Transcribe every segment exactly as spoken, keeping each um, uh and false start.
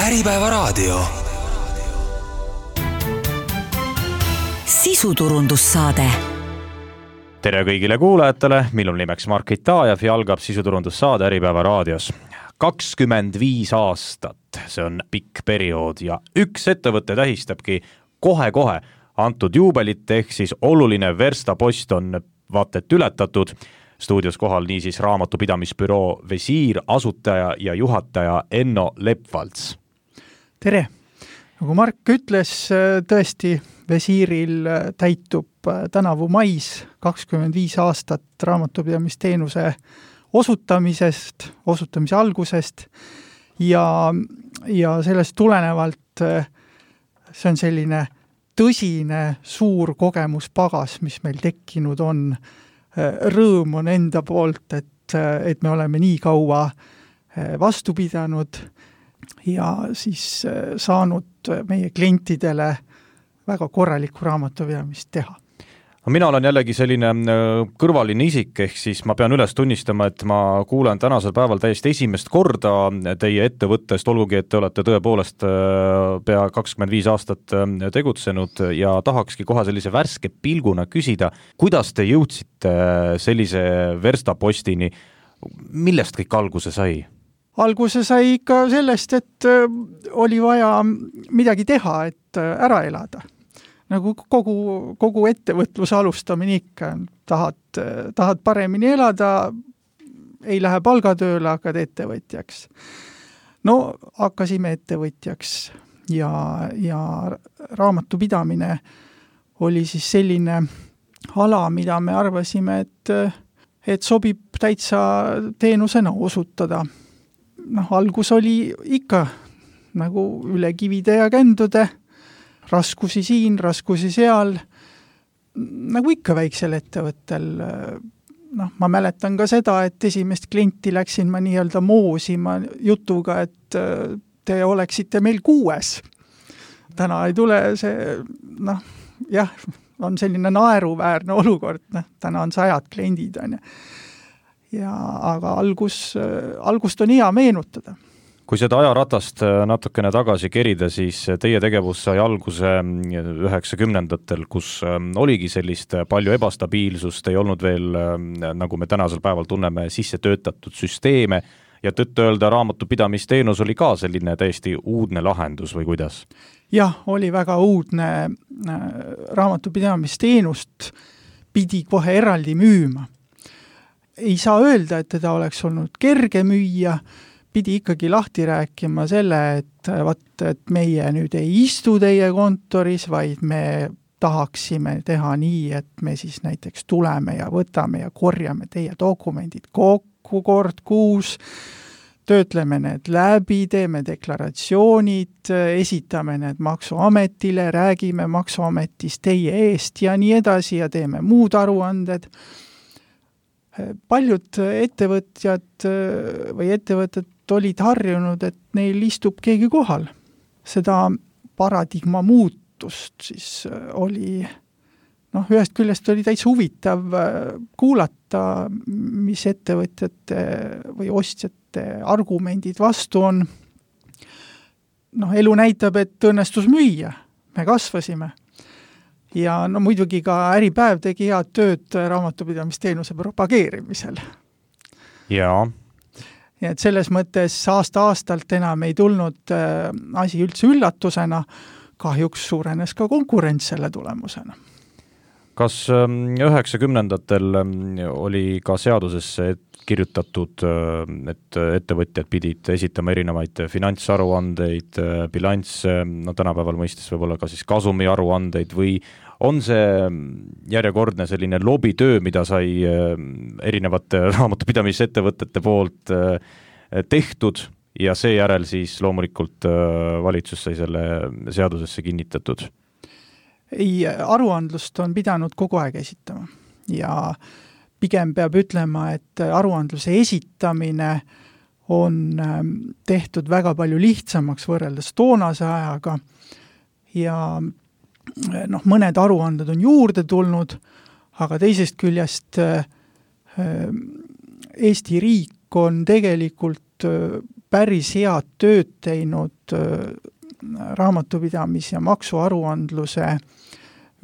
Äripäevaraadio. Sisuturundussaade. Tere kõigile kuulajatele, millel nimeks Mark Itajev ja algab sisuturundussaade Äripäevaraadios. kakskümmend viis aastat, see on pikk periood ja üks ettevõte tähistabki kohe-kohe antud juubelit, ehk siis oluline verstapost on vaatet ületatud. Stuudios kohal niisiis raamatupidamisbüroo Visiir asutaja ja juhataja Enno Lepvalts. Tere! Nagu Mark ütles, tõesti Visiiril täitub tänavu mais kakskümmend viis aastat raamatupidamisteenuse osutamisest, osutamise algusest ja, ja sellest tulenevalt see on selline tõsine suur kogemuspagas, mis meil tekkinud on. Rõõm on enda poolt, et, et me oleme nii kaua vastu pidanud ja siis saanud meie klientidele väga korralikku raamatupidamist teha. Mina olen jällegi selline kõrvaline isik, ehk siis ma pean üles tunnistama, et ma kuulen tänasel päeval täiesti esimest korda teie ettevõttest, olgugi, et te olete tõepoolest pea kakskümmend viis aastat tegutsenud ja tahakski kohe sellise värske pilguna küsida, kuidas te jõudsite sellise verstapostini, millest kõik alguse sai? Alguse sai ikka sellest, et oli vaja midagi teha, et ära elada. Nagu kogu, kogu ettevõtluse alustamine ikka, tahad, tahad paremini elada, ei lähe palgatööle, hakkad ettevõtjaks. No, hakkasime ettevõtjaks ja, ja raamatupidamine oli siis selline ala, mida me arvasime, et, et sobib täitsa teenusena osutada. Noh, algus oli ikka nagu üle kivide ja kändude, raskusi siin, raskusi seal, nagu ikka väiksel ettevõttel. Noh, ma mäletan ka seda, et esimest klienti läksin ma nii-öelda moosima jutuga, et te oleksite meil kuues. Täna ei tule see, noh, jah, on selline naeruväärne olukord, noh, täna on sajad kliendid. On ja, aga algus, algust on hea meenutada. Kui seda ajaratast natukene tagasi kerida, siis teie tegevus sai alguse üheksakümnendatel, kus oligi sellist palju ebastabiilsust, ei olnud veel, nagu me tänasel päeval tunneme, sisse töötatud süsteeme ja tõtt öelda raamatupidamisteenus oli ka selline täiesti uudne lahendus või kuidas? Jah, oli väga uudne. Raamatupidamisteenust pidi kohe eraldi müüma. Ei saa öelda, et teda oleks olnud kerge müüa, pidi ikkagi lahti rääkima selle, et, vaat, et meie nüüd ei istu teie kontoris, vaid me tahaksime teha nii, et me siis näiteks tuleme ja võtame ja korjame teie dokumendid kokku kord kuus, töötleme need läbi, teeme deklaratsioonid, esitame need maksuametile, räägime maksuametis teie eest ja nii edasi ja teeme muud aruanded. Paljud ettevõtjad või ettevõtted olid harjunud, et neil istub keegi kohal. Seda paradigma muutust siis oli, noh, ühest küljest oli täitsa huvitav kuulata, mis ettevõtjate või ostjate argumendid vastu on. Noh, elu näitab, et õnnestus müüa. Me kasvasime. Ja no muidugi ka Äripäev tegi head tööd raamatupidamisteenuse propageerimisel. Jaa. Ja et selles mõttes aasta-aastalt enam ei tulnud äh, asi üldse üllatusena, kahjuks suurenes ka konkurents selle tulemusena. Kas üheksakümnendatel oli ka seadusesse kirjutatud, et ettevõtjad pidid esitama erinevaid finantsaruandeid, bilansse, no tänapäeval mõistes võib-olla ka siis kasumi aruandeid või on see järjekordne selline lobitöö, mida sai erinevate raamatupidamisettevõtete poolt tehtud ja seejärel siis loomulikult valitsus sai selle seadusesse kinnitatud? Ei, aruandlust on pidanud kogu aeg esitama ja pigem peab ütlema, et aruandluse esitamine on tehtud väga palju lihtsamaks võrreldes toonase ajaga ja noh, mõned aruanded on juurde tulnud, aga teisest küljest Eesti riik on tegelikult päris head tööd teinud raamatupidamis- ja maksuaruandluse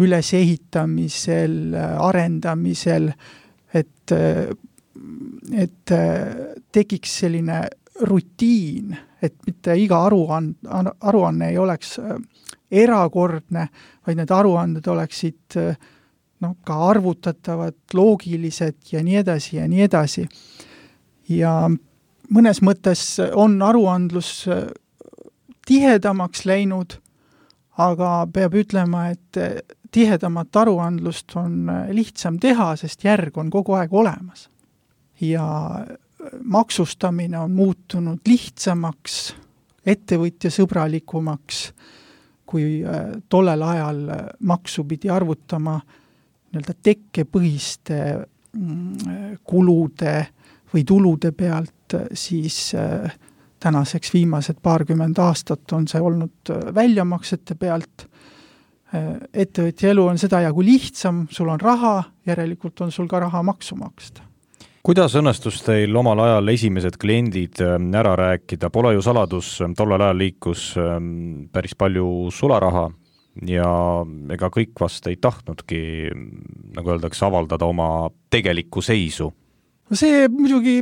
ülesehitamisel, arendamisel, et, et tekiks selline rutiin, et mitte iga aruand, aruanne ei oleks erakordne, vaid need aruanded oleksid no, ka arvutatavad, loogilised ja nii edasi ja nii edasi. Ja mõnes mõttes on aruandlus tihedamaks läinud, aga peab ütlema, et tihedamat aruandlust on lihtsam teha, sest järg on kogu aeg olemas. Ja maksustamine on muutunud lihtsamaks, ettevõtjasõbralikumaks, kui tollel ajal maksu pidi arvutama nii-öelda tekkepõhiste kulude või tulude pealt, siis tänaseks viimased paarkümmend aastat on see olnud väljamaksete pealt. Ettevõtja elu on seda jagu lihtsam, sul on raha, järelikult on sul ka raha maksu maksta. Kuidas õnnestus teil omal ajal esimesed kliendid ära rääkida? Pole ju saladus, tollel ajal liikus päris palju sularaha ja ega kõik vast ei tahtnudki, nagu öeldakse, avaldada oma tegelikku seisu. See muidugi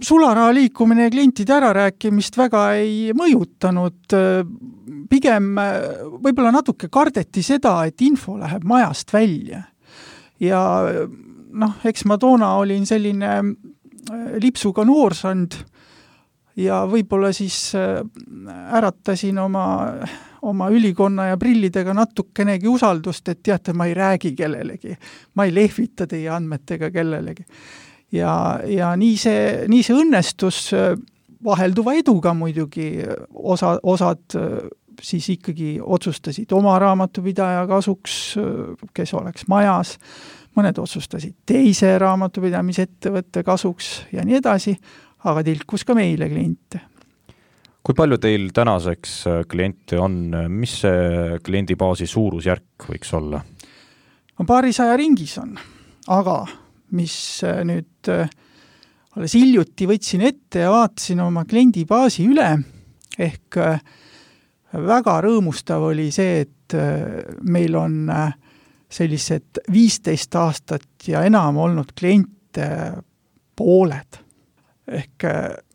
sularaha liikumine ja klientide ärarääkimist väga ei mõjutanud. Pigem võib-olla natuke kardeti seda, et info läheb majast välja. Ja noh, eks ma toona olin selline lipsuga noorsand ja võib-olla siis äratasin oma, oma ülikonna ja prillidega natukenegi usaldust, et teate, ma ei räägi kellelegi, ma ei lehvita teie andmetega kellelegi. Ja, ja nii see, nii see õnnestus vahelduva eduga muidugi, osa, osad siis ikkagi otsustasid oma raamatupidaja kasuks, kes oleks majas, mõned otsustasid teise raamatupidamisettevõtte kasuks ja nii edasi, aga tilkus ka meile kliente. Kui palju teil tänaseks kliente on, mis see kliendibaasi suurusjärk võiks olla? No paarisaja ringis on, aga mis nüüd alles hiljuti võtsin ette ja vaatasin oma kliendibaasi üle, ehk väga rõõmustav oli see, et meil on sellised viisteist aastat ja enam olnud kliente pooled. Ehk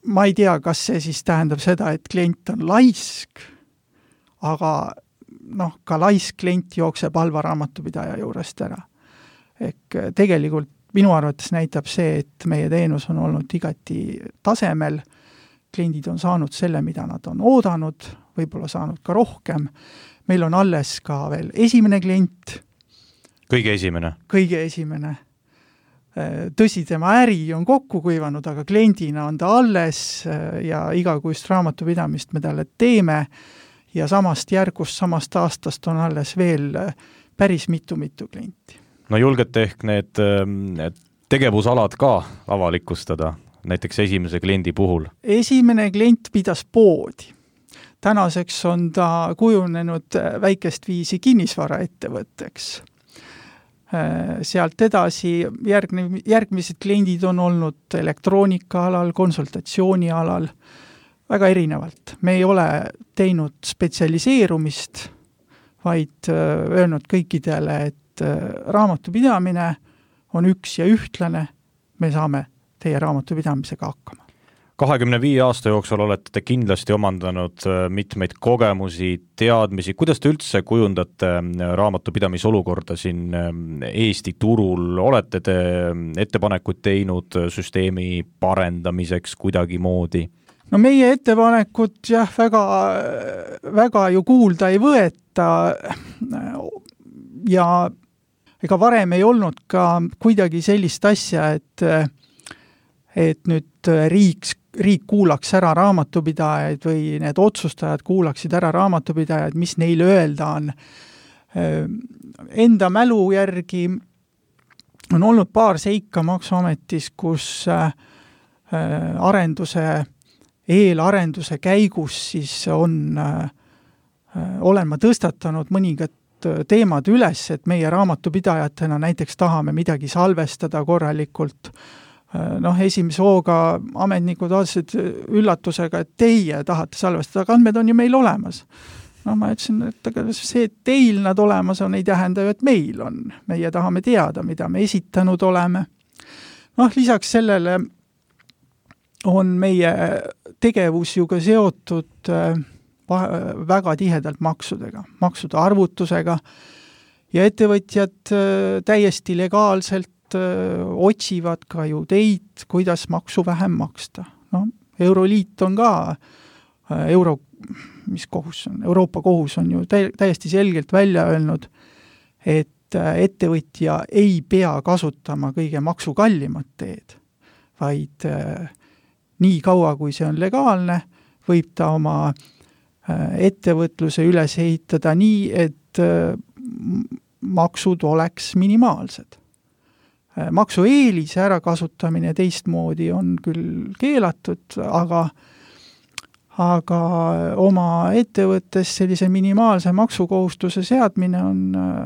ma ei tea, kas see siis tähendab seda, et klient on laisk, aga noh, ka laisk klient jookseb halva raamatupidaja juurest ära. Ehk tegelikult minu arvates näitab see, et meie teenus on olnud igati tasemel, kliendid on saanud selle, mida nad on oodanud, võib-olla saanud ka rohkem. Meil on alles ka veel esimene klient. Kõige esimene? Kõige esimene. Tõsi, tema äri on kokku kuivanud, aga kliendina on ta alles ja igakuist raamatupidamist me talle teeme ja samast järgust, samast aastast on alles veel päris mitu-mitu klienti. No julgete ehk need, need tegevusalad ka avalikustada, näiteks esimese kliendi puhul? Esimene klient pidas poodi. Tänaseks on ta kujunenud väikest viisi kinnisvaraettevõtteks. Sealt edasi järgne, järgmised kliendid on olnud elektroonika alal, konsultatsiooni alal, väga erinevalt. Me ei ole teinud spetsialiseerumist, vaid öelnud kõikidele, et raamatupidamine on üks ja ühtlane, me saame teie raamatupidamisega hakkama. kahekümne viie aasta jooksul olete te kindlasti omandanud mitmeid kogemusi, teadmisi. Kuidas te üldse kujundate raamatupidamisolukorda siin Eesti turul? Olete te ettepanekuid teinud süsteemi parendamiseks kuidagi moodi? No meie ettepanekud jah, väga, väga ju kuulda ei võeta ja ega varem ei olnud ka kuidagi sellist asja, et, et nüüd riik, riik kuulaks ära raamatupidajaid või need otsustajad kuulaksid ära raamatupidajaid, mis neile öelda on. Enda mälu järgi on olnud paar seika Maksuametis, kus arenduse, eelarenduse käigus siis on, olen ma tõstatanud mõningad teemad üles, et meie raamatupidajatena näiteks tahame midagi salvestada korralikult, noh, esimese hooga ametnikud vaatasid üllatusega, et teie tahate salvestada, aga andmed on ju meil olemas. No ma ütlesin, et aga see, et teil nad olemas on, ei tähenda ju, et meil on. Meie tahame teada, mida me esitanud oleme. Noh, lisaks sellele on meie tegevus ju ka seotud väga tihedalt maksudega, maksude arvutusega ja ettevõtjad täiesti legaalselt otsivad ka ju teid, kuidas maksu vähem maksta. No, Euroliit on ka, Euro, mis kohus on, Euroopa kohus on ju täiesti selgelt välja öelnud, et ettevõtja ei pea kasutama kõige maksukallimat teed, vaid nii kaua, kui see on legaalne, võib ta oma ettevõtluse üles ehitada nii, et maksud oleks minimaalsed. Maksueelise ära kasutamine teistmoodi on küll keelatud, aga, aga oma ettevõttes sellise minimaalse maksukohustuse seadmine on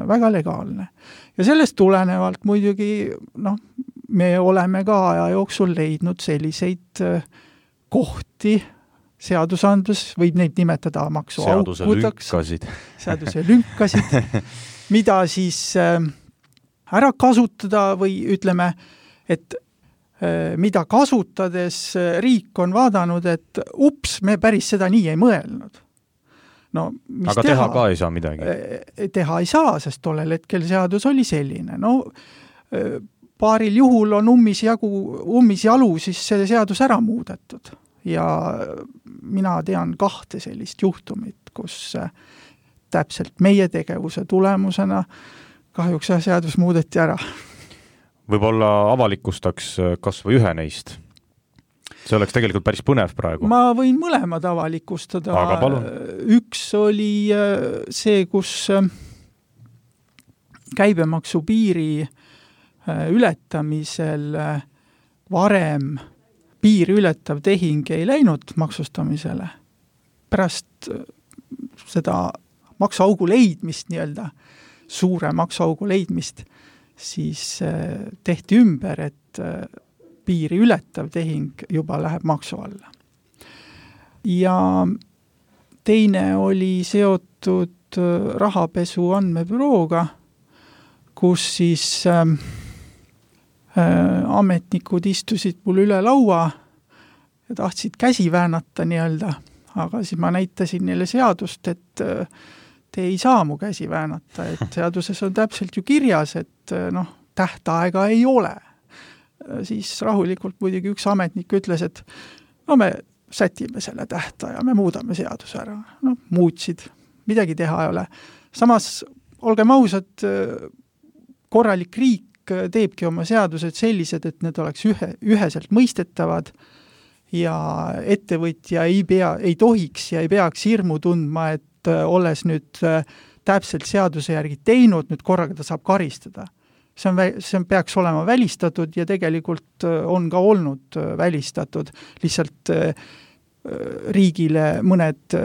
väga legaalne. Ja sellest tulenevalt muidugi, noh, me oleme ka aja jooksul leidnud selliseid kohti, seadusandlus, võib neid nimetada maksuaukudaks. Seaduse lünkasid. Seaduse lünkasid, mida siis ära kasutada või ütleme, et mida kasutades riik on vaadanud, et ups, me päris seda nii ei mõelnud. No, mis aga teha, teha ka ei saa midagi. Teha ei saa, sest tollel hetkel seadus oli selline. No, paaril juhul on ummis, jagu, ummis jalu siis see seadus ära muudetud. Ja mina tean kahte sellist juhtumit, kus täpselt meie tegevuse tulemusena kahjuks seadus muudeti ära. Võib-olla avalikustaks kas või ühe neist. See oleks tegelikult päris põnev praegu. Ma võin mõlemad avalikustada. Aga palun. Üks oli see, kus käibemaksu piiri ületamisel varem piiri ületav tehing ei läinud maksustamisele. Pärast seda maksuaugu leidmist nii-öelda, suure maksuaugu leidmist, siis tehti ümber, et piiri ületav tehing juba läheb maksu alla. Ja teine oli seotud rahapesu andmebürooga, kus siis äh, ametnikud istusid mul üle laua ja tahtsid käsi väänata nii-öelda, aga siis ma näitasin neile seadust, et äh, te ei saa mu käsi väänata, et seaduses on täpselt ju kirjas, et noh, tähtaega ei ole. Siis rahulikult muidugi üks ametnik ütles, et no me sätime selle tähtaja, me muudame seaduse ära. No, muutsid, midagi teha ei ole. Samas, olgem ausad, korralik riik teebki oma seadused sellised, et need oleks ühe, üheselt mõistetavad ja ettevõtja ei, pea, ei tohiks ja ei peaks hirmu tundma, et olles nüüd täpselt seaduse järgi teinud, nüüd korraga ta saab karistada. See, on, see peaks olema välistatud ja tegelikult on ka olnud välistatud. Lihtsalt riigile mõned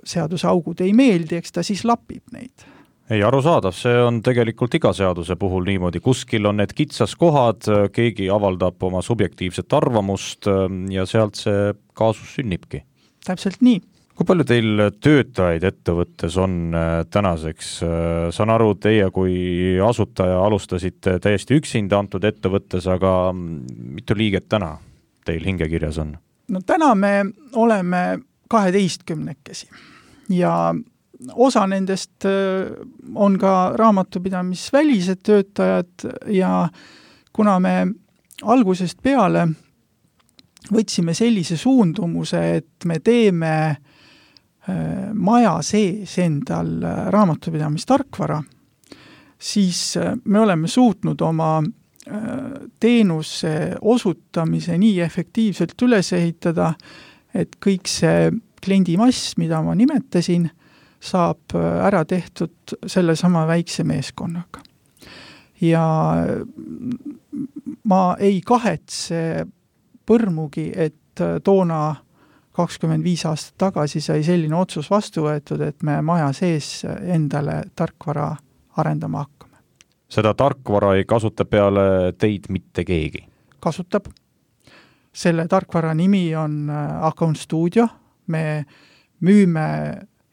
seadusaugud ei meeldi, eks ta siis lapib neid. Ei, arusaadav, see on tegelikult iga seaduse puhul niimoodi. Kuskil on need kitsas kohad, keegi avaldab oma subjektiivset arvamust ja sealt see kaasus sünnibki. Täpselt nii. Kui palju teil töötajaid ettevõttes on tänaseks? Saan aru, teie kui asutaja alustasite täiesti üksinda antud ettevõttes, aga mitu liiget täna teil hingekirjas on? No täna me oleme kaheteistkümnekesi ja osa nendest on ka raamatupidamisvälised töötajad ja kuna me algusest peale võtsime sellise suundumuse, et me teeme maja sees endal raamatupidamistarkvara, siis me oleme suutnud oma teenuse osutamise nii efektiivselt üles ehitada, et kõik see kliendimass, mida ma nimetasin, saab ära tehtud selle sama väikse meeskonnaga. Ja ma ei kahetse põrmugi, et toona kakskümmend viis aastat tagasi sai selline otsus vastu võetud, et me maja sees endale tarkvara arendama hakkame. Seda tarkvara ei kasuta peale teid mitte keegi? Kasutab. selle tarkvara nimi on Account Studio, me müüme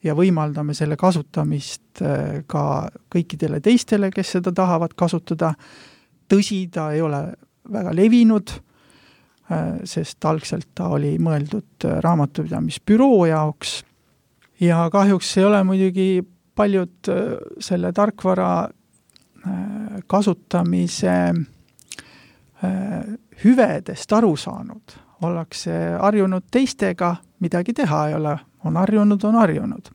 ja võimaldame selle kasutamist ka kõikidele teistele, kes seda tahavad kasutada. Tõsi, ta ei ole väga levinud, sest algselt ta oli mõeldud raamatupidamisbüroo jaoks ja kahjuks ei ole muidugi paljud selle tarkvara kasutamise hüvedest aru saanud. Ollakse harjunud teistega, midagi teha ei ole, on harjunud, on harjunud.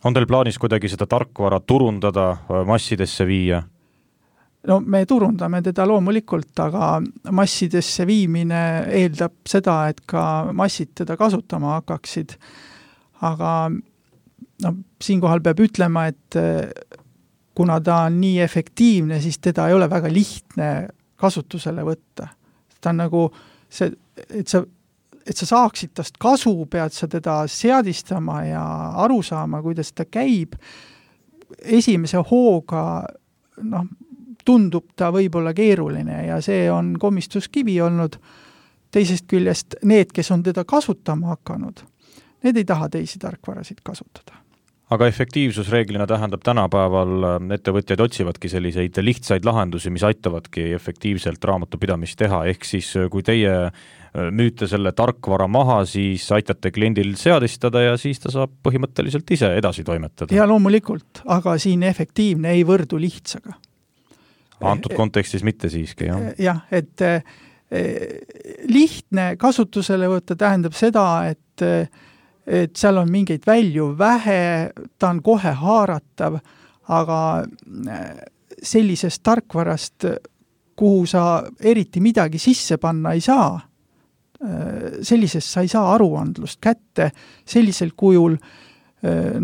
On teil plaanis kuidagi seda tarkvara turundada, massidesse viia? No me turundame teda loomulikult, aga massidesse viimine eeldab seda, et ka massid teda kasutama hakkaksid. Aga no, siinkohal peab ütlema, et kuna ta on nii efektiivne, siis teda ei ole väga lihtne kasutusele võtta. Ta on nagu see, et sa, et sa saaksid tast kasu, pead sa teda seadistama ja aru saama, kuidas ta käib. Esimese hooga noh, tundub ta võib-olla keeruline ja see on komistuskivi olnud. Teisest küljest need, kes on teda kasutama hakanud, need ei taha teisi tarkvarasid kasutada. Aga efektiivsus reeglina tähendab tänapäeval, ettevõtjad otsivadki selliseid lihtsaid lahendusi, mis aitavadki efektiivselt raamatupidamist teha, ehk siis kui teie müüte selle tarkvara maha, siis aitate kliendil seadistada ja siis ta saab põhimõtteliselt ise edasi toimetada. Ja loomulikult, aga siin efektiivne ei võrdu lihtsaga. Antud kontekstis mitte siiski, jah? Jah, et lihtne kasutusele võtta tähendab seda, et et seal on mingeid välju vähe, ta on kohe haaratav, aga sellisest tarkvarast, kuhu sa eriti midagi sisse panna ei saa, sellisest sa ei saa aruandlust kätte sellisel kujul,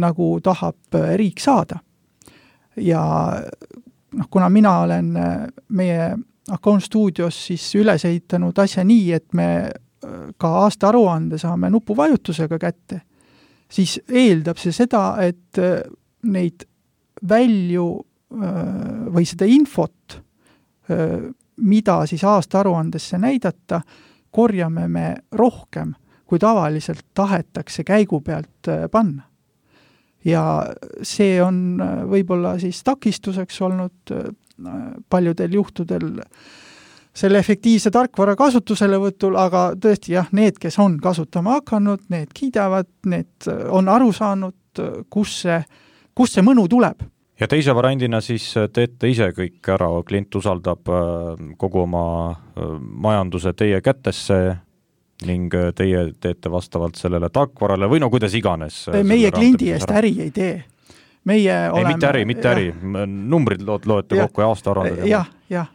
nagu tahab riik saada. Ja noh, kuna mina olen meie Account Studios siis üles ehitanud asja nii, et me ka aasta aruande saame nupuvajutusega kätte, siis eeldab see seda, et neid välju või seda infot, mida siis aasta aruandesse näidata, korjame me rohkem, kui tavaliselt tahetakse käigu pealt panna. Ja see on võib-olla siis takistuseks olnud paljudel juhtudel selle efektiivse tarkvara kasutusele võtul, aga tõesti jah, need, kes on kasutama hakanud, need kiidavad, need on aru saanud, kus see, kus see mõnu tuleb. Ja teise variandina siis teete ise kõik ära, klient usaldab kogu oma majanduse teie kätesse ning teie teete vastavalt sellele tarkvarale või no kuidas iganes. Meie kliendi eest äri ei tee. Meie ei, oleme, mitte äri, mitte äri. Numbrid loete kokku ja aasta arvandad. Jah, jah.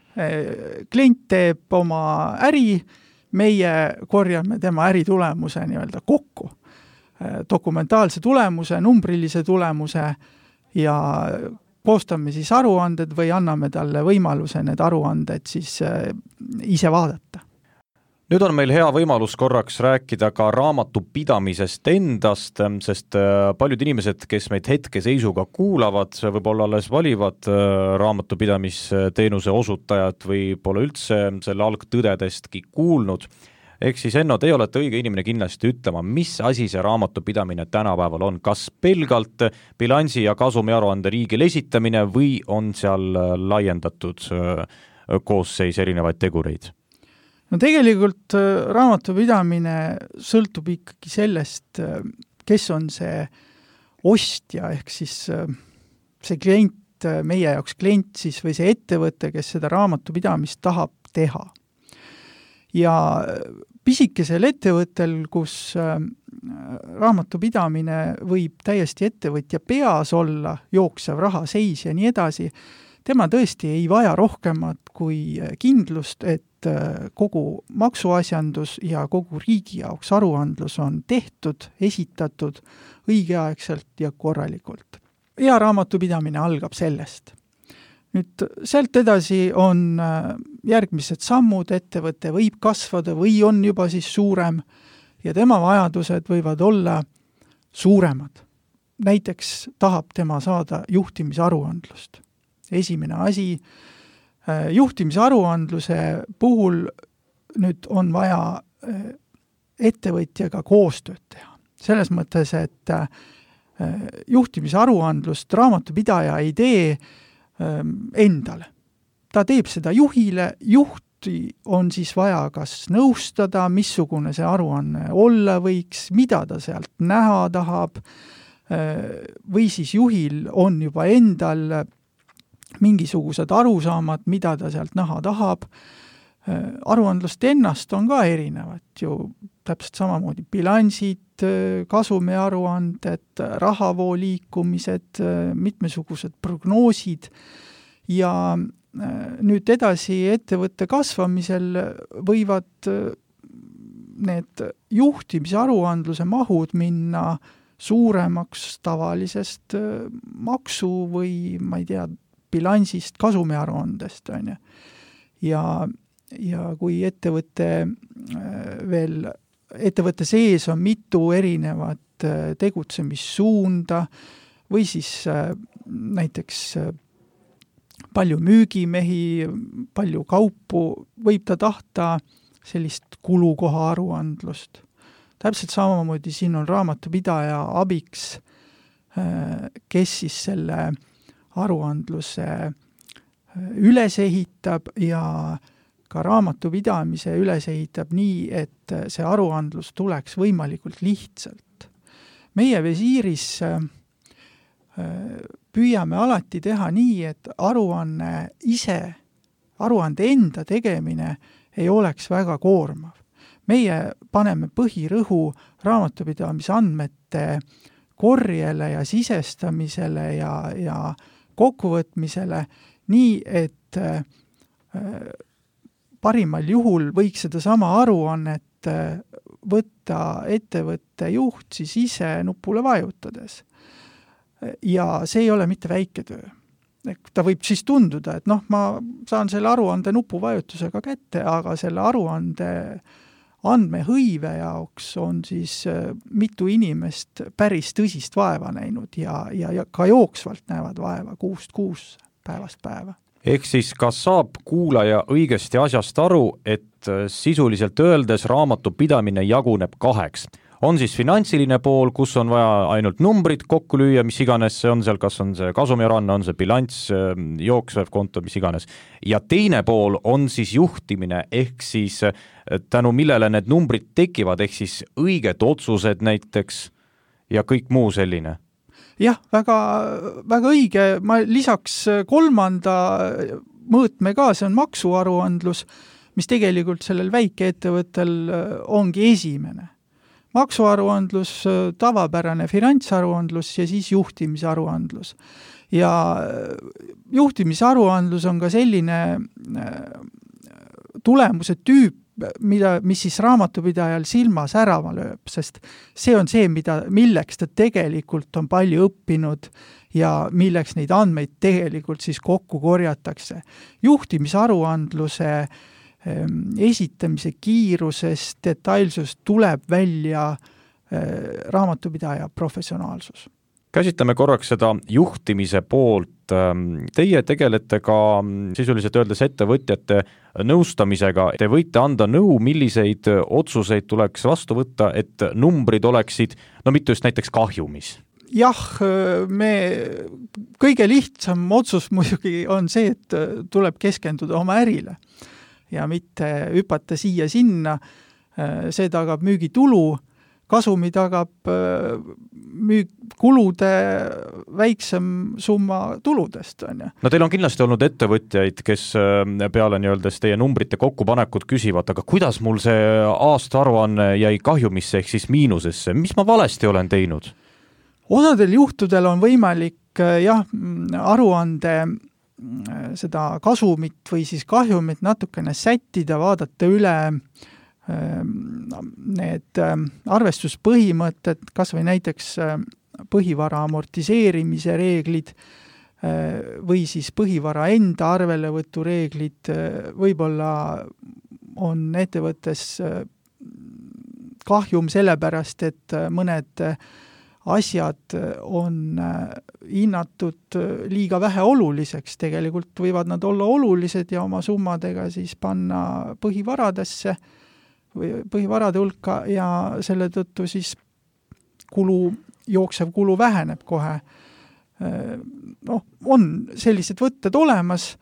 Klient teeb oma äri, meie korjame tema äri tulemuse nii-öelda kokku. Dokumentaalse tulemuse, numbrilise tulemuse ja koostame siis aruanded või anname talle võimaluse need aruanded siis ise vaadata. Nüüd on meil hea võimalus korraks rääkida ka raamatupidamisest endast, sest paljud inimesed, kes meid hetkeseisuga kuulavad, võib-olla alles valivad raamatupidamisteenuse osutajat või pole üldse selle algtõdedestki kuulnud. Ehk siis Enno, te olete õige inimene kindlasti ütlema, mis asi see raamatupidamine tänapäeval on, kas pelgalt bilansi ja kasumi aruande riigil esitamine või on seal laiendatud koosseis erinevaid tegureid? No tegelikult raamatupidamine sõltub ikkagi sellest, kes on see ostja, ehk siis see klient, meie jaoks klient siis või see ettevõte, kes seda raamatupidamist tahab teha. Ja pisikesel ettevõttel, kus raamatupidamine võib täiesti ettevõtja peas olla, jooksev raha seis ja nii edasi, tema tõesti ei vaja rohkemat kui kindlust, et kogu maksuasjandus ja kogu riigi jaoks aruandlus on tehtud, esitatud õigeaegselt ja korralikult. Hea raamatupidamine algab sellest. Nüüd sealt edasi on järgmised sammud, ettevõte võib kasvada või on juba siis suurem ja tema vajadused võivad olla suuremad. Näiteks tahab tema saada juhtimisaruandlust. Esimene asi, juhtimisaruandluse puhul nüüd on vaja ettevõtjaga koostööd teha. Selles mõttes, et juhtimisaruandlust raamatupidaja ei tee endale. Ta teeb seda juhile, juhti on siis vaja kas nõustada, missugune see aruanne olla võiks, mida ta sealt näha tahab, või siis juhil on juba endal mingisugused arusaamad, mida ta sealt näha tahab. Aruandlust ennast on ka erinevad ju, täpselt samamoodi bilansid, kasumiaruanded, rahavoo liikumised, mitmesugused prognoosid ja nüüd edasi ettevõtte kasvamisel võivad need juhtimisaruandluse mahud minna suuremaks tavalisest maksu või ma ei tea, bilansist, kasumiaruandest on ju. Ja, ja kui ettevõtte veel, ettevõtte sees on mitu erinevat tegutsemissuunda või siis näiteks palju müügimehi, palju kaupu, võib ta tahta sellist kulukoha aruandlust. Täpselt samamoodi siin on raamatupidaja abiks, kes siis selle aruandluse üles ehitab ja ka raamatupidamise üles ehitab nii, et see aruandlus tuleks võimalikult lihtsalt. Meie visiiris püüame alati teha nii, et aruanne ise, aruande enda tegemine ei oleks väga koormav. Meie paneme põhirõhu raamatupidamise andmete korjele ja sisestamisele ja, ja kokkuvõtmisele nii, et parimal juhul võiks seda sama aruannet võtta ettevõtte juht siis ise nupule vajutades. Ja see ei ole mitte väike töö. Ta võib siis tunduda, et noh, ma saan selle aruande nupuvajutusega kätte, aga selle aruande andmehõive jaoks on siis mitu inimest päris tõsist vaeva näinud ja, ja, ja ka jooksvalt näevad vaeva kuust kuus päevast päeva. Ehk siis kas saab kuulaja õigesti asjast aru, et sisuliselt öeldes raamatupidamine jaguneb kaheks? On siis finantsiline pool, kus on vaja ainult numbrid kokku lüüa, mis iganes see on seal, kas on see kasumiaruanne, on see bilanss, jooksvev konto, mis iganes. Ja teine pool on siis juhtimine, ehk siis tänu millele need numbrid tekivad, ehk siis õiged otsused näiteks ja kõik muu selline. Jah, väga, väga õige. Ma lisaks kolmanda mõõtme ka, see on maksuaruandlus, mis tegelikult sellel väikeettevõttel ongi esimene. Maksuaruandlus, tavapärane finantsaruandlus ja siis juhtimisaruandlus. Ja juhtimisaruandlus on ka selline tulemuse tüüp, mida, mis siis raamatupidajal silma särama lööb, sest see on see, mida, milleks ta tegelikult on palju õppinud ja milleks neid andmeid tegelikult siis kokku korjatakse. Juhtimisaruandluse esitamise kiirusest, detailsust tuleb välja raamatupidaja professionaalsus. Käsitleme korraks seda juhtimise poolt. Teie tegelete ka sisuliselt öeldes ettevõtjate nõustamisega. Te võite anda nõu, milliseid otsuseid tuleks vastu võtta, et numbrid oleksid, no mitte just näiteks kahjumis. Jah, me kõige lihtsam otsus muidugi on see, et tuleb keskenduda oma ärile ja mitte hüpata siia-sinna, see tagab müügitulu, kasumi tagab müük, kulude väiksem summa tuludest. On ju. No teil on kindlasti olnud ettevõtjaid, kes peale nii-öeldes teie numbrite kokkupanekud küsivad, aga kuidas mul see aastaaruanne jäi kahjumisse ehk siis miinusesse, mis ma valesti olen teinud? Osadel juhtudel on võimalik jah, aruande seda kasumit või siis kahjumit natukene sättida, vaadata üle need arvestuspõhimõtted, kas või näiteks põhivara amortiseerimise reeglid või siis põhivara enda arvelevõtu reeglid, võib-olla on ettevõttes kahjum sellepärast, et mõned asjad on hinnatud liiga vähe oluliseks, tegelikult võivad nad olla olulised ja oma summadega siis panna põhivaradesse või põhivarade hulka ja selle tõttu siis kulu, jooksev kulu väheneb kohe. Noh, on sellised võtted olemas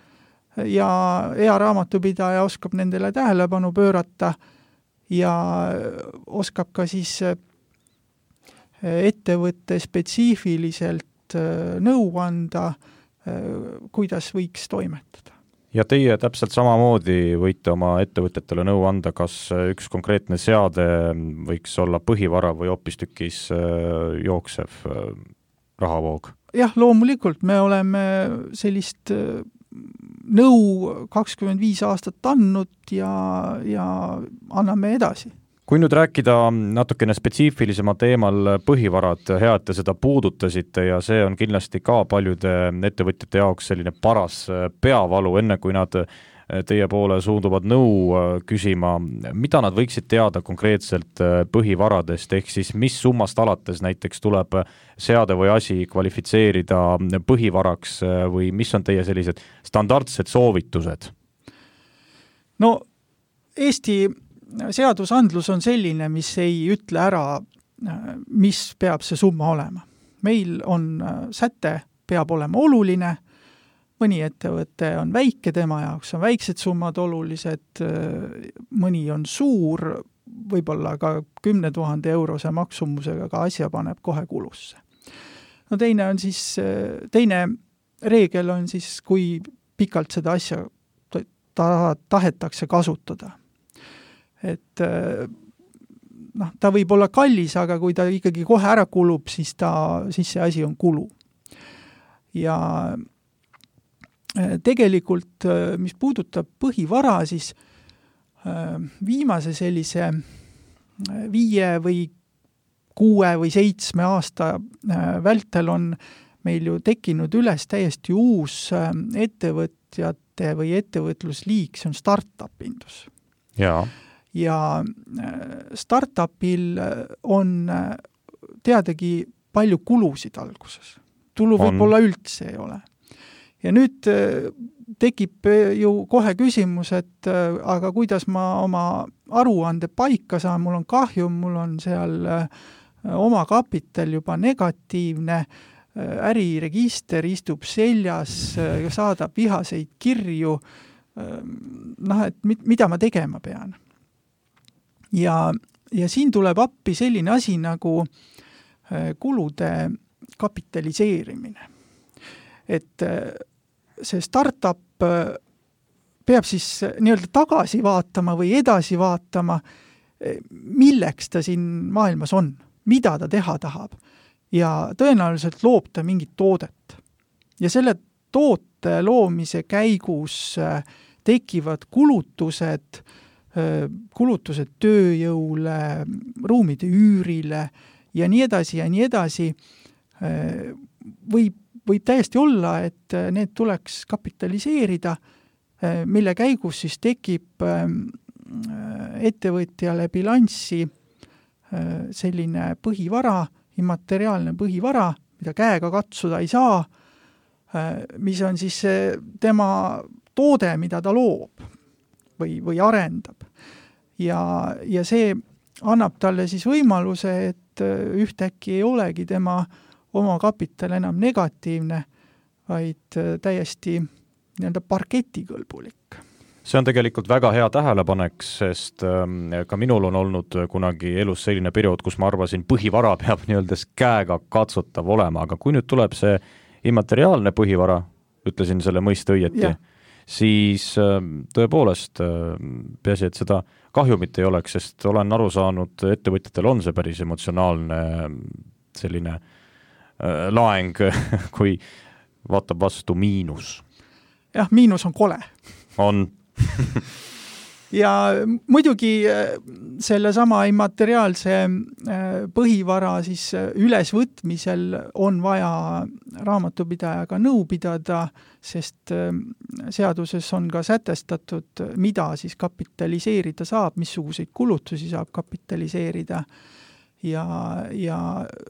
ja hea raamatupidaja oskab nendele tähelepanu pöörata ja oskab ka siis ettevõtte spetsiifiliselt nõu anda, kuidas võiks toimetada. Ja teie täpselt samamoodi võite oma ettevõtetele nõu anda, kas üks konkreetne seade võiks olla põhivara või hoopistükkis jooksev rahavoog? Jah, loomulikult me oleme sellist nõu kakskümmend viis aastat andnud ja, ja anname edasi. Kui nüüd rääkida natukene spetsiifilisema teemal põhivarad, hea, et te seda puudutasite ja see on kindlasti ka paljude ettevõtjate jaoks selline paras peavalu, enne kui nad teie poole suunduvad nõu küsima, mida nad võiksid teada konkreetselt põhivaradest, ehk siis mis summast alates näiteks tuleb seade või asi kvalifitseerida põhivaraks või mis on teie sellised standardsed soovitused? No Eesti seadusandlus on selline, mis ei ütle ära, mis peab see summa olema. Meil on säte, peab olema oluline, mõni ettevõte on väike, tema jaoks on väiksed summad olulised, mõni on suur, võib-olla ka kümne tuhande eurose maksumusega ka asja paneb kohe kulusse. No teine on siis, teine reegel on siis, kui pikalt seda asja ta, tahetakse kasutada. Et noh, ta võib olla kallis, aga kui ta ikkagi kohe ära kulub, siis, ta, siis see asi on kulu. Ja tegelikult, mis puudutab põhivara, siis viimase sellise viie või kuue või seitsme aasta vältel on meil ju tekkinud üles täiesti uus ettevõtjate või ettevõtlusliik, see on startup-indus. Jaa. Ja startupil on teadagi palju kulusid alguses. Tulu võib-olla üldse ei ole. Ja nüüd tekib ju kohe küsimus, et aga kuidas ma oma aruande paika saan, mul on kahju, mul on seal oma kapital juba negatiivne, äriregister istub seljas, saadab vihaseid kirju, noh, et mida ma tegema pean. Ja, ja siin tuleb appi selline asi nagu kulude kapitaliseerimine. Et see startup peab siis nii-öelda tagasi vaatama või edasi vaatama, milleks ta siin maailmas on, mida ta teha tahab. Ja tõenäoliselt loob ta mingit toodet. Ja selle toote loomise käigus tekivad kulutused, kulutused tööjõule, ruumide üürile ja nii edasi ja nii edasi. Võib, võib täiesti olla, et need tuleks kapitaliseerida, mille käigus siis tekib ettevõtjale bilanssi selline põhivara, immateriaalne põhivara, mida käega katsuda ei saa, mis on siis tema toode, mida ta loob või, või arendab. Ja, ja see annab talle siis võimaluse, et ühtäkki ei olegi tema oma kapital enam negatiivne, vaid täiesti nii-öelda parketikõlbulik. See on tegelikult väga hea tähelepanek, sest ka minul on olnud kunagi elus selline periood, kus ma arvasin, põhivara peab nii-öelda käega katsutav olema, aga kui nüüd tuleb see immateriaalne põhivara, ütlesin selle mõiste õieti, ja. Siis tõepoolest peasi, et seda kahjumit ei oleks, sest olen aru saanud, ettevõtjatel on see päris emotsionaalne selline laeng, kui vaatab vastu miinus. Jah, miinus on kole. On. Ja muidugi selle sama immateriaalse põhivara siis ülesvõtmisel on vaja raamatupidajaga nõu pidada, sest seaduses on ka sätestatud, mida siis kapitaliseerida saab, missuguseid kulutusi saab kapitaliseerida. ja, ja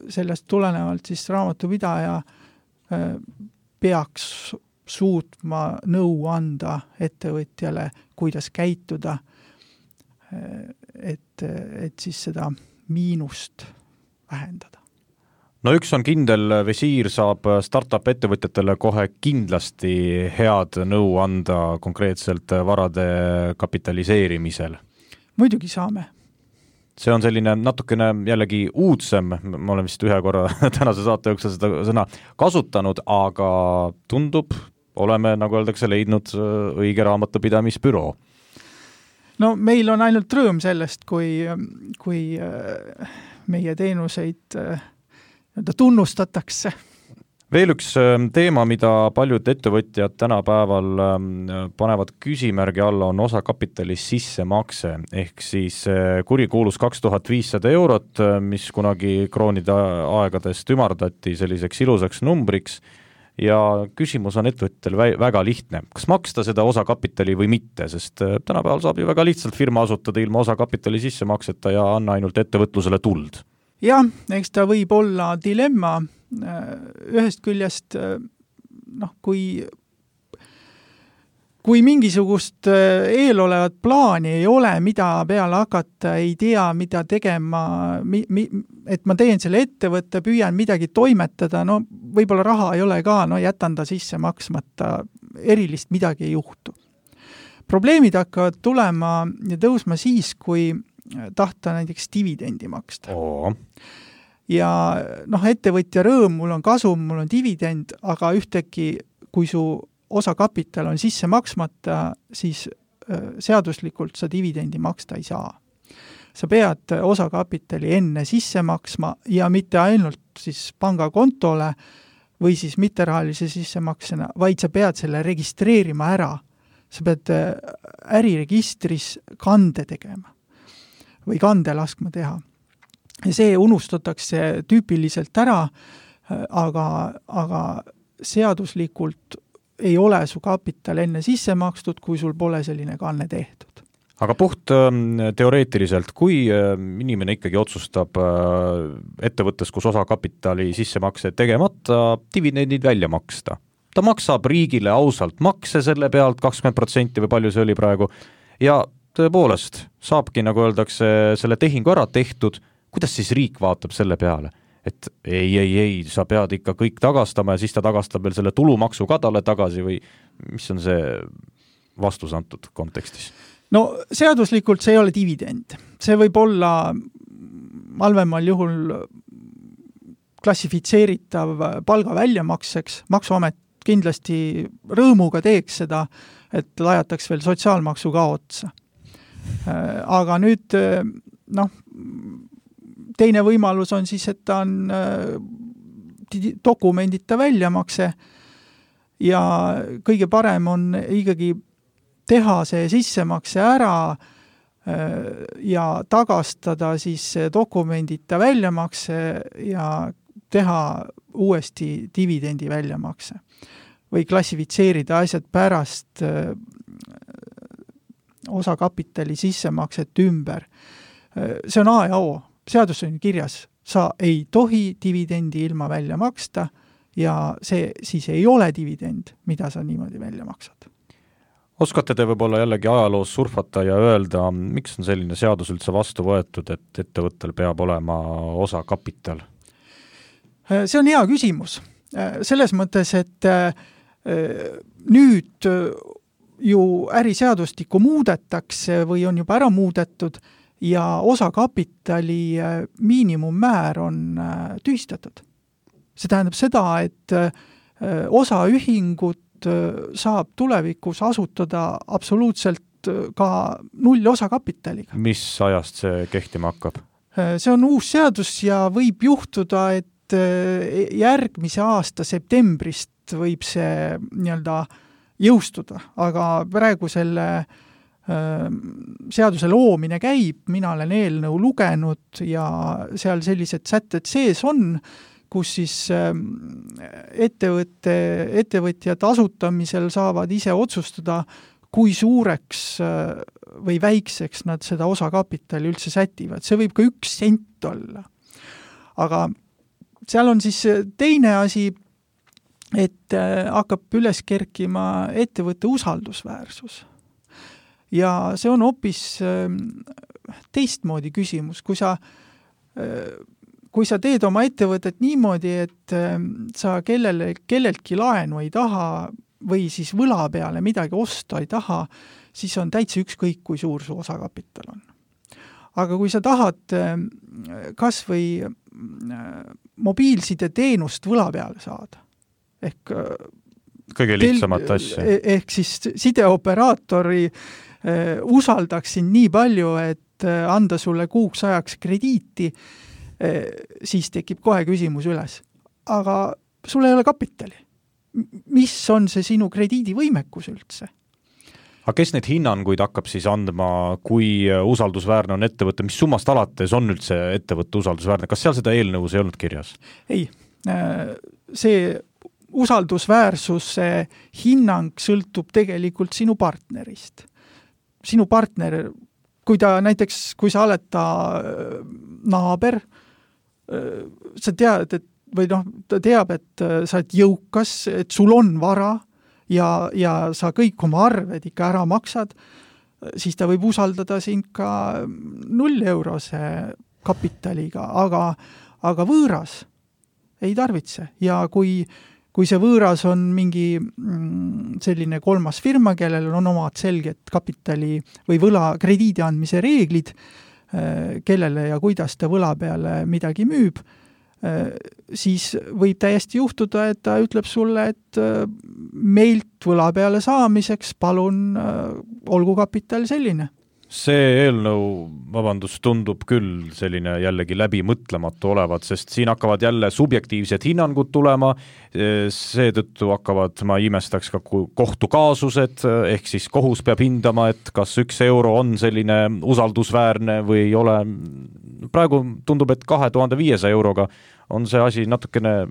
sellest tulenevalt siis raamatupidaja peaks suutma nõu anda ettevõtjale, kuidas käituda, et, et siis seda miinust vähendada. No üks on kindel, Visiir saab startup ettevõtjatele kohe kindlasti head nõu anda konkreetselt varade kapitaliseerimisel. Muidugi saame. See on selline natukene jällegi uudsem, ma olen vist ühe korra tänase saate jooksul seda sõna kasutanud, aga tundub, oleme, nagu öeldakse, leidnud õige raamatupidamisbüroo. No meil on ainult rõõm sellest, kui, kui meie teenuseid tunnustatakse. Veel üks teema, mida paljud ettevõtjad tänapäeval panevad küsimärgi alla, on osakapitali sissemakse, ehk siis kurikuulus kaks tuhat viissada eurot, mis kunagi kroonide aegadest ümardati selliseks ilusaks numbriks, ja küsimus on ettevõtjal väga lihtne. Kas maksta seda osakapitali või mitte, sest tänapäeval saab ju väga lihtsalt firma asutada ilma osakapitali sissemakseta ja anna ainult ettevõtlusele tuld. Jah, eks ta võib olla dilemma. Ühest küljest, noh, kui, kui mingisugust eelolevat plaani ei ole, mida peale hakata, ei tea, mida tegema, mi, mi, et ma teen selle ettevõtte, püüan midagi toimetada, no võib-olla raha ei ole ka, no jätan ta sisse maksmata, erilist midagi ei juhtu. Probleemid hakkavad tulema ja tõusma siis, kui tahta näiteks dividendi maksta. Oo. Ja noh, ettevõtja rõõm, mul on kasum, mul on dividend, aga ühtegi, kui su osakapital on sisse maksmata, siis seaduslikult sa dividendi maksta ei saa. Sa pead osakapitali enne sisse maksma ja mitte ainult siis pangakontole või siis mitterahalise sissemaksena, vaid sa pead selle registreerima ära. Sa pead äriregistris kande tegema või kande laskma teha. Ja see unustatakse tüüpiliselt ära, aga, aga seaduslikult ei ole su kapital enne sisse makstud, kui sul pole selline kanne tehtud. Aga puht teoreetiliselt, kui inimene ikkagi otsustab ettevõttes, kus osakapitali sissemakse tegemata, dividendid välja maksta. Ta maksab riigile ausalt makse selle pealt kakskümmend protsenti või palju see oli praegu ja tõepoolest saabki, nagu öeldakse, selle tehingu ära tehtud, kuidas siis riik vaatab selle peale? Et ei, ei, ei, sa pead ikka kõik tagastama ja siis ta tagastab veel selle tulumaksu ka talle tagasi või mis on see vastus antud kontekstis? No seaduslikult see ei ole dividend. See võib olla halvemal juhul klassifitseeritav palga väljamakseks. Maksuamet kindlasti rõõmuga teeks seda, et lajataks veel sotsiaalmaksu ka otsa. Aga nüüd, noh, teine võimalus on siis, et ta on dokumendita väljamakse ja kõige parem on ikkagi teha see sissemakse ära ja tagastada siis dokumendita väljamakse ja teha uuesti dividendi väljamakse või klassifitseerida asjad pärast osakapitali sissemakset ümber. See on A ja O. Seadus on kirjas. Sa ei tohi dividendi ilma välja maksta ja see siis ei ole dividend, mida sa niimoodi välja maksad. Oskate te võib-olla jällegi ajaloos surfata ja öelda, miks on selline seadus üldse vastu võetud, et ettevõttel peab olema osakapital? See on hea küsimus. Selles mõttes, et nüüd ju äriseadustikku muudetakse või on juba ära muudetud ja osakapitali miinimummäär on tühistatud. See tähendab seda, et osaühingut saab tulevikus asutada absoluutselt ka null osakapitaliga. Mis ajast see kehtima hakkab? See on uus seadus ja võib juhtuda, et järgmise aasta septembrist võib see nii-öelda jõustuda, aga praegu selle seaduse loomine käib, mina olen eelnõu lugenud ja seal sellised sätted sees on, kus siis ettevõtte, ettevõtjad asutamisel saavad ise otsustada, kui suureks või väikseks nad seda osakapitali üldse sätivad. See võib ka üks sent olla. aga seal on siis teine asi, et hakkab üles kerkima ettevõtte usaldusväärsus. Ja see on hoopis teistmoodi küsimus, kui sa, kui sa teed oma ettevõtet niimoodi, et sa kellele, kelleltki laenu ei taha või siis võla peale midagi osta ei taha, siis on täitsa ükskõik, kui suur su osakapital on. Aga kui sa tahad kas või mobiilside teenust võla peale saada, ehk kõige lihtsamat tel, asja. Ehk siis sideoperaatori eh, usaldaksin nii palju, et anda sulle kuuks ajaks krediiti, eh, siis tekib kohe küsimus üles. Aga sul ei ole kapitali. Mis on see sinu krediidivõimekus üldse? Aga kes neid hinnanguid hakkab siis andma, kui usaldusväärne on ettevõte, mis summast alates on üldse ettevõtte usaldusväärne? Kas seal seda eelnõus ei olnud kirjas? Ei, see usaldusväärsuse hinnang sõltub tegelikult sinu partnerist. Sinu partner, kui ta näiteks, kui sa oled ta naaber, sa tead, et, või noh, ta teab, et sa oled jõukas, et sul on vara ja, ja sa kõik oma arved ikka ära maksad, siis ta võib usaldada sind ka null eurose kapitaliga, aga, aga võõras ei tarvitse. Ja kui kui see võõras on mingi selline kolmas firma, kellel on omad selged kapitali või võla krediidi andmise reeglid, kellele ja kuidas ta võla peale midagi müüb, siis võib täiesti juhtuda, et ta ütleb sulle, et meilt võla peale saamiseks palun olgu kapital selline. See eelnõu, vabandust, tundub küll selline jällegi läbi mõtlematu olevat, sest siin hakkavad jälle subjektiivsed hinnangud tulema, seetõttu hakkavad, ma imestaks ka kohtukaasused, ehk siis kohus peab hindama, et kas üks euro on selline usaldusväärne või ei ole. Praegu tundub, et kahe tuhande viiesaja euroga on see asi natukene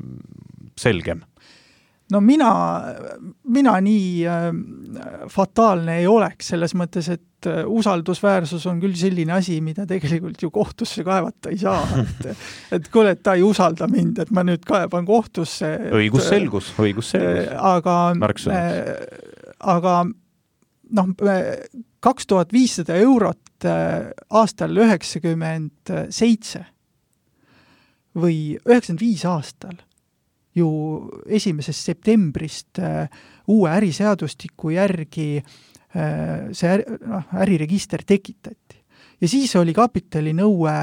selgem. No mina, mina nii äh, fataalne ei oleks selles mõttes, et äh, usaldusväärsus on küll selline asi, mida tegelikult ju kohtusse kaevata ei saa. Et, et kuule, et ta ei usalda mind, et ma nüüd kaeban kohtusse. Õigusselgus, õigusselgus. Äh, aga, äh, aga noh, kaks tuhat viissada eurot äh, aastal üheksakümmend seitse või üheksakümmend viis aastal ju esimesest septembrist äh, uue äriseadustiku järgi äh, see äri, noh, äriregister tekitati. Ja siis oli kapitali nõue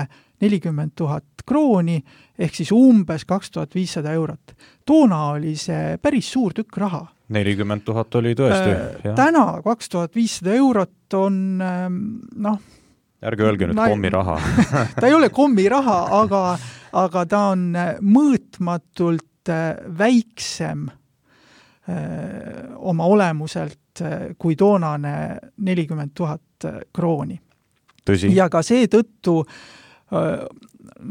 nelikümmend tuhat krooni, ehk siis umbes kaks tuhat viissada eurot. Toona oli see päris suur tükk raha. nelikümmend tuhat oli tõesti. Äh, täna kaks tuhat viissada eurot on äh, noh, ärge öelge nüüd kommi raha. Ta ei ole kommi raha, aga, aga ta on mõõtmatult väiksem öö, oma olemuselt kui toonane nelikümmend tuhat krooni. Tõsi. Ja ka see tõttu,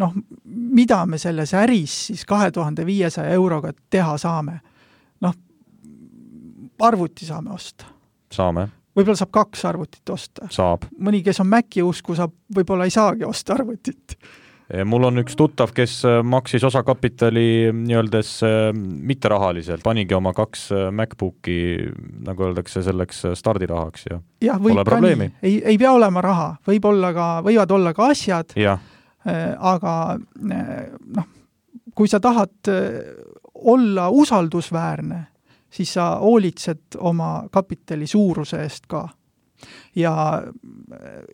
noh, mida me selles äris siis kahe tuhande viiesaja euroga teha saame? Noh, arvuti saame osta. Saame. Võib-olla saab kaks arvutit osta. Saab. Mõni, kes on Maci usku, saab, võib-olla ei saagi osta arvutit. Mul on üks tuttav, kes maksis osakapitali nii-öeldes mitterahaliselt, panigi oma kaks MacBooki, nagu öeldakse, selleks stardirahaks ja, ja pole probleemi. Ei, ei pea olema raha, võib olla ka, võivad olla ka asjad, ja. aga noh, kui sa tahad olla usaldusväärne, siis sa hoolitsed oma kapitali suuruse eest ka. Ja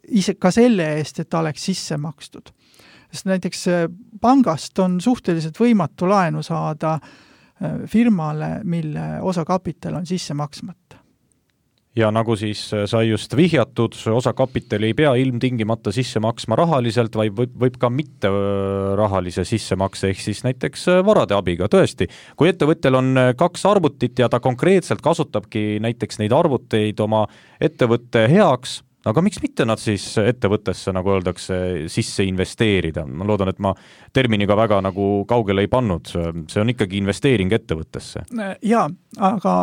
ise ka selle eest, et ta oleks sisse makstud. Sest näiteks pangast on suhteliselt võimatu laenu saada firmale, mille osakapital on sisse maksmata. Ja nagu siis sai just vihjatud, osakapitali ei pea ilmtingimata sisse maksma rahaliselt, vaid võib, võib ka mitte rahalise sissemakse, ehk siis näiteks varade abiga. Tõesti, kui ettevõttel on kaks arvutit ja ta konkreetselt kasutabki näiteks neid arvuteid oma ettevõtte heaks, aga miks mitte nad siis ettevõttesse, nagu öeldakse, sisse investeerida? Ma loodan, et ma terminiga väga nagu kaugele ei pannud. See on ikkagi investeering ettevõttesse. Jaa, aga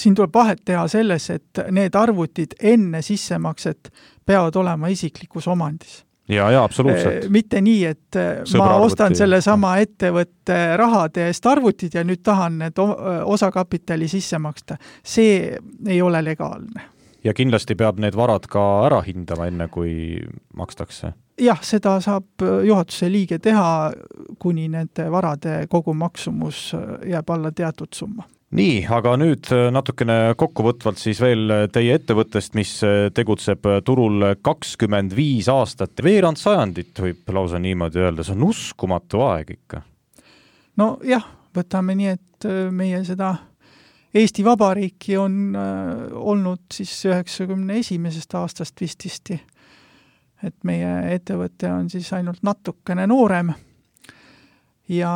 siin tuleb vahet teha selles, et need arvutid enne sissemakset peavad olema isiklikus omandis. ja, ja absoluutselt. Mitte nii, et Sõbra ma ostan arvuti. Selle sama ettevõtte rahade eest arvutid ja nüüd tahan need osakapitali sisse maksta. See ei ole legaalne. Ja kindlasti peab need varad ka ära hindama enne, kui makstakse. Jah, seda saab juhatuse liige teha, kuni nende varade kogu maksumus jääb alla teatud summa. Nii, aga nüüd natukene kokkuvõtvalt siis veel teie ettevõttest, mis tegutseb turul kakskümmend viis aastat. Veerand sajandit võib lausa niimoodi öelda, see on uskumatu aeg ikka. No jah, võtame nii, et meie seda Eesti Vabariiki on äh, olnud siis üheksakümne esimesest aastast vististi, et meie ettevõte on siis ainult natukene noorem ja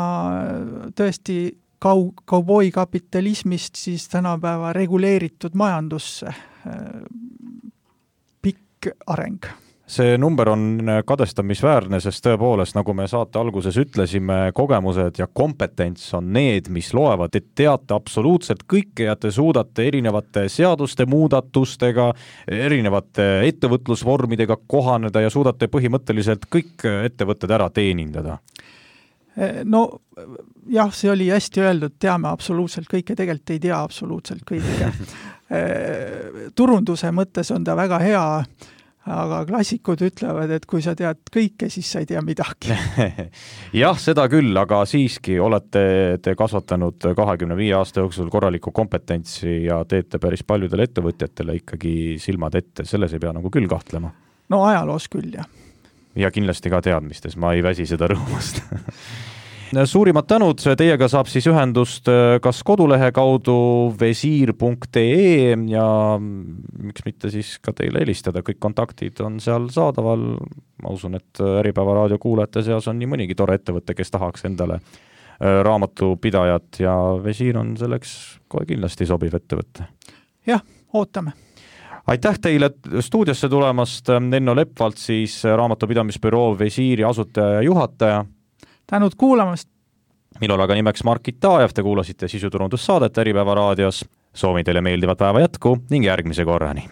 tõesti kau- kauboi kapitalismist siis tänapäeva reguleeritud majandusse äh, pikk areng. See number on kadestamisväärne, sest tõepoolest, nagu me saate alguses ütlesime, kogemused ja kompetents on need, mis loevad, et teate absoluutselt kõike ja te suudate erinevate seaduste muudatustega, erinevate ettevõtlusvormidega kohaneda ja suudate põhimõtteliselt kõik ettevõtted ära teenindada. No jah, see oli hästi öeldud, teame absoluutselt kõike, tegelikult ei tea absoluutselt kõike. Turunduse mõttes on ta väga hea, aga klassikud ütlevad, et kui sa tead kõike, siis sa ei tea midagi. Jah, seda küll, aga siiski olete te kasvatanud kahekümne viie aasta jooksul korralikku kompetentsi ja teete päris paljudele ettevõtjatele ikkagi silmad ette, selles ei pea nagu küll kahtlema. No ajaloos küll, jah. Ja kindlasti ka teadmistes, ma ei väsi seda rõõmust. Suurimad tänud, teiega saab siis ühendust kas kodulehe kaudu visiir punkt ee ja miks mitte siis ka teile helistada, kõik kontaktid on seal saadaval. Ma usun, et Äripäeva raadio kuulajate seas on nii mõnigi tore ettevõte, kes tahaks endale raamatupidajat ja Visiir on selleks kohe kindlasti sobiv ettevõte. Jah, ootame. Aitäh teile stuudiosse tulemast, Enno Lepvalt siis raamatupidamisbüroo Visiiri asutaja ja juhataja. Tänud kuulamast. Minul aga nimeks Mark Itajev, te kuulasite sisuturundussaadet Äripäeva raadios. Soovin teile meeldivat päeva jätku ning järgmise korrani.